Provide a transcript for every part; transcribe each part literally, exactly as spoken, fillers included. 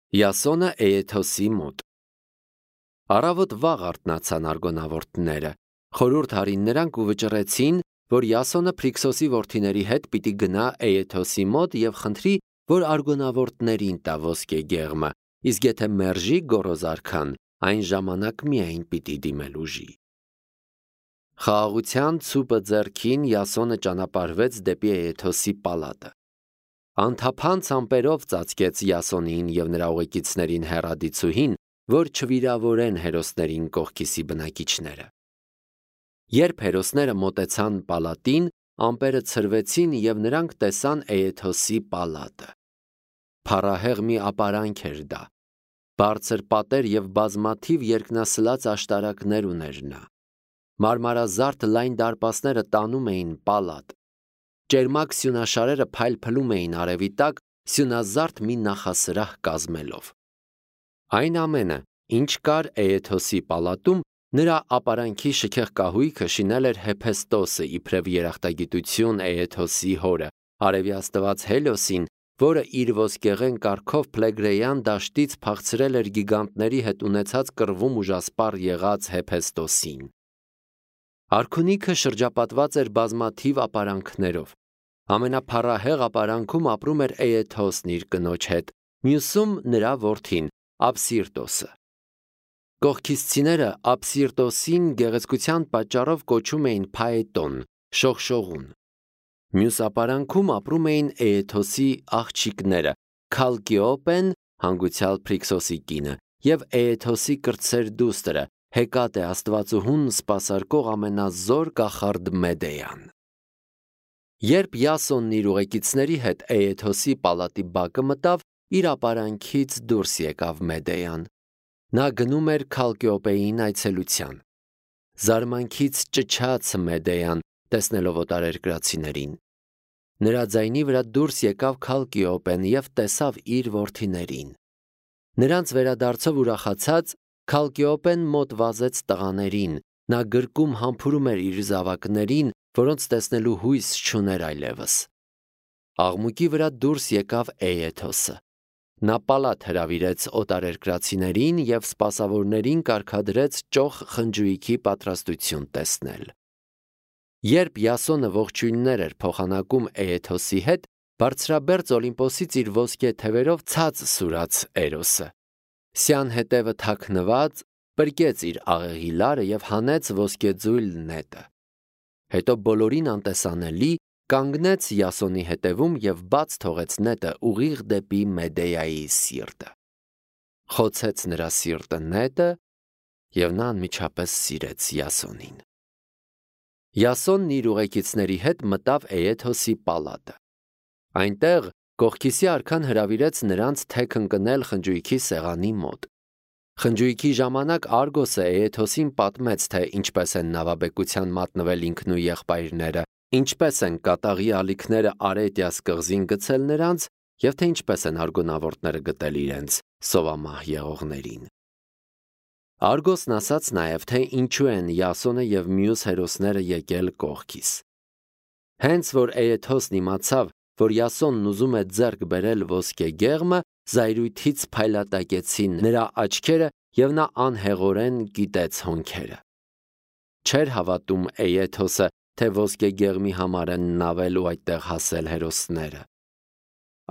Յասոնը Էեթոսի մոտ։ Առավոտ վաղ արթնացան արգոնավորտները, խորհուրդ արին նրանք ու վճռեցին, որ Յասոնը Փրիքսոսի որդիների հետ պիտի գնա Էեթոսի մոտ եւ խնդրի, որ արգոնավորտներին տա ոսկե գեղմը, իսկ եթե մերժի գոռոզարքան, այն ժամանակ միայն պիտի դիմել ուժի։ Խաղաղության ցուպը ձեռքին Յասոնը ճանապարհվեց դեպի Էեթոսի պալատը։ Անթափանց ամպերով ծածկեց Յասոնին եւ նրա ուղեկիցներին հեռադիցուհին, որ չվիրավորեն հերոսներին կողքիսի բնակիչները։ Երբ հերոսները մոտեցան պալատին, ամպերը ցրվեցին եւ նրանք տեսան Էեթոսի պալատը։ Փառահեղ մի ապարանք էր դա։ Բարձր պատեր եւ բազմաթիվ երկնասլաց աշտարակներ ուներ նա։ Մարմարազարդ լայն դարպասները տանում էին պալատ։ Ճերմակ սյունաշարերը փայլփլում էին արևի տակ, սյունազարդ մի նախասրահ կազմելով։ Այն ամենը, ինչ կար Էեթոսի պալատում, նրա ապարանքի շքեղ կահույքը շինել էր Հեփեստոսը իբրև երախտագիտություն Էեթոսի հորը, արևի աստված Հելիոսին, որը իր ոսկեղեն կարգով Փլեգրեյան դաշտից փախցրել էր գիգանտների հետ ունեցած կռվում ուժասպառ եղած Հեփեստոսին։ Արքունիքը շրջապատված էր բազմաթիվ ապարանքներով։ Ամենափառահեղ ապարանքում ապրում էր Էեթոսն իր կնոջ հետ, մյուսում նրա որդին Աբսիրտոսը։ Կողքիսցիները Աբսիրտոսին գեղեցկության պատճառով կոչում էին Փաետոն, շողշողուն։ Մյուս ապարանքում ապրում էին Էեթոսի աղջիկները Քալկիոպեն, հանգուցյալ Փրիքսոսի կինը, եւ Էեթոսի կրտսեր դուստրը Հեկատե աստվածուհուն սպասարկող ամենազոր կախարդ Մեդեյան։ Երբ Յասոնն իր ուղեկիցների հետ Էեթոսի պալատի բակը մտավ, իր ապարանքից դուրս եկավ Մեդեյան։ Նա գնում էր Քալկիոպեին այցելության։ Զարմանքից ճչաց Մեդեյան, տեսնելով օտարերկրացիներին։ Նրա ձայնի վրա դուրս եկավ Քալկիոպեն եւ տեսավ իր որդիներին։ Նրանց վերադարձով ուրախացած, Քալկիոպեն մոտ վազեց տղաներին, նա գրկում համբուրում էր իր զավակներին, որոնց տեսնելու հույս չուներ այլևս։ Աղմուկի վրա դուրս եկավ Էեթոսը։ Նա պալատ հրավիրեց օտարերկրացիներին եւ սպասավորներին կարգադրեց ճոխ խնջույքի պատրաստություն տեսնել։ Երբ Յասոնը ողջույններ էր փոխանակում Էեթոսի հետ, բարձրաբերձ Օլիմպոսից իր ոսկե թևերով ցած սուրաց Էրոսը։ Սյան հետևը թաքնված, պրկեց իր աղեղի լարը եւ հանեց ոսկեձույլ նետը։ Հետո բոլորին անտեսանելի կանգնեց Յասոնի հետևում եւ բաց թողեց նետը ուղիղ դեպի Մեդեայի սիրտը։ Խոցեց նրա սիրտը նետը եւ նա անմիջապես սիրեց Յասոնին։ Յասոնն իր ուղեկիցների հետ մտավ Էեթոսի պալատը։ Այնտեղ Կողքիսի արքան հրավիրեց նրանց թեք ընկնել խնջույքի սեղանի մոտ։ Խնջույքի ժամանակ Արգոսը Էեթոսին պատմեց, թե ինչպես են նավաբեկության մատնվել ինքն ու եղբայրները, ինչպես են կատաղի ալիքները Արետիաս կղզին գցել նրանց եւ թե ինչպես են արգոնավորտները գտել իրենց սովամահ եղողներին։ Արգոսն ասաց նաեւ, թե ինչու են Յասոնը եւ մյուս հերոսները եկել կողքիս։ Հենց որ Էեթոսն իմացավ, որ Յասոնն ուզում է ձեռք բերել ոսկե գեղմը, զայրույթից փայլատակեցին նրա աչքերը եւ նա անհեղորեն գիտեց հոնքերը։ Չէր հավատում Էեթոսը, թե ոսկե գեղմի համար են նավել ու այդտեղ հասել հերոսները։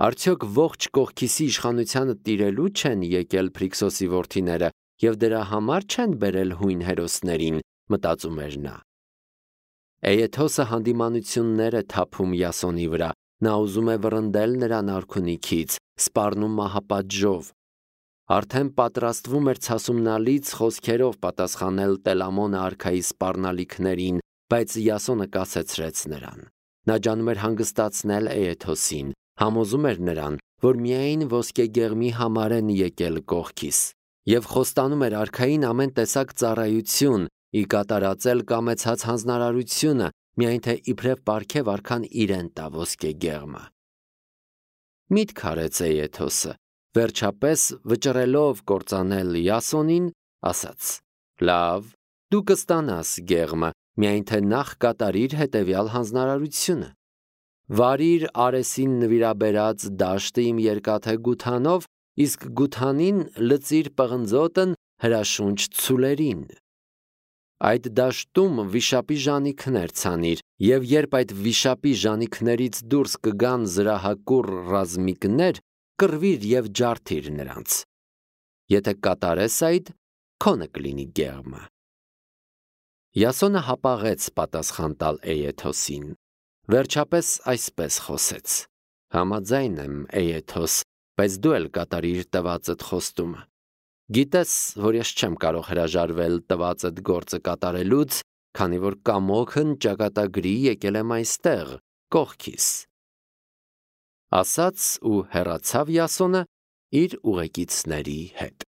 Արդյոք ողջ Կողքիսի իշխանությանը տիրելու չեն եկել Փրիքսոսի որդիները եւ դրա համար չեն բերել հույն հերոսներին, մտածում էր նա։ Էեթոսը հանդիմանություններ է թափում Յասոնի վրա, նա ուզում է վռնդել նրան արքունիքից, սպառնում մահապատժով։ Արդեն պատրաստվում էր ցասումնալից խոսքերով պատասխանել Տելամոնը արքայի սպառնալիքներին, բայց Յասոնը կասեցրեց նրան։ Նա ջանում էր հանգստացնել Էեթոսին, համոզում էր նրան, որ միայն ոսկե գեղմի համար են եկել կողքիս, եւ խոստանում էր արքային ամեն տեսակ ծառայություն, ի կատարածել կամեցած հանձնարարությունը, միայն թե իբրև պարգև արքան իրեն տա ոսկե գեղմը։ Միտք արեց Էեթոսը, վերջապես վճռելով կործանել Յասոնին, ասաց. Լավ, դու կստանաս գեղմը, միայն թե նախ կատարիր հետևյալ հանձնարարությունը։ Վարիր Արեսին նվիրաբերած դաշտը իմ երկաթե գութանով իսկ գութանին լծիր պղնձոտն հրաշունչ ցուլերին։ Այդ դաշտում վիշապի ժանիքներ ցանիր, եւ երբ այդ վիշապի ժանիքներից դուրս կգան զրահակուռ ռազմիկներ, կռվիր եւ ջարդիր նրանց։ Եթե կատարես այդ, քոնը կլինի գեղմը։ Յասոնը հապաղեց պատասխան տալ Էեթոսին, վերջապես այսպես խոսեց. Համաձայն եմ, Էեթոս, բայց դու էլ կատարիր տվածդ խոստումը։ Գիտես, որ ես չեմ կարող հրաժարվել տվածդ գործը կատարելուց, քանի որ կամոքն ճակատագրի եկել եմ այստեղ, կողքիս։ Ասաց ու հեռացավ Յասոնը իր ուղեկիցների հետ։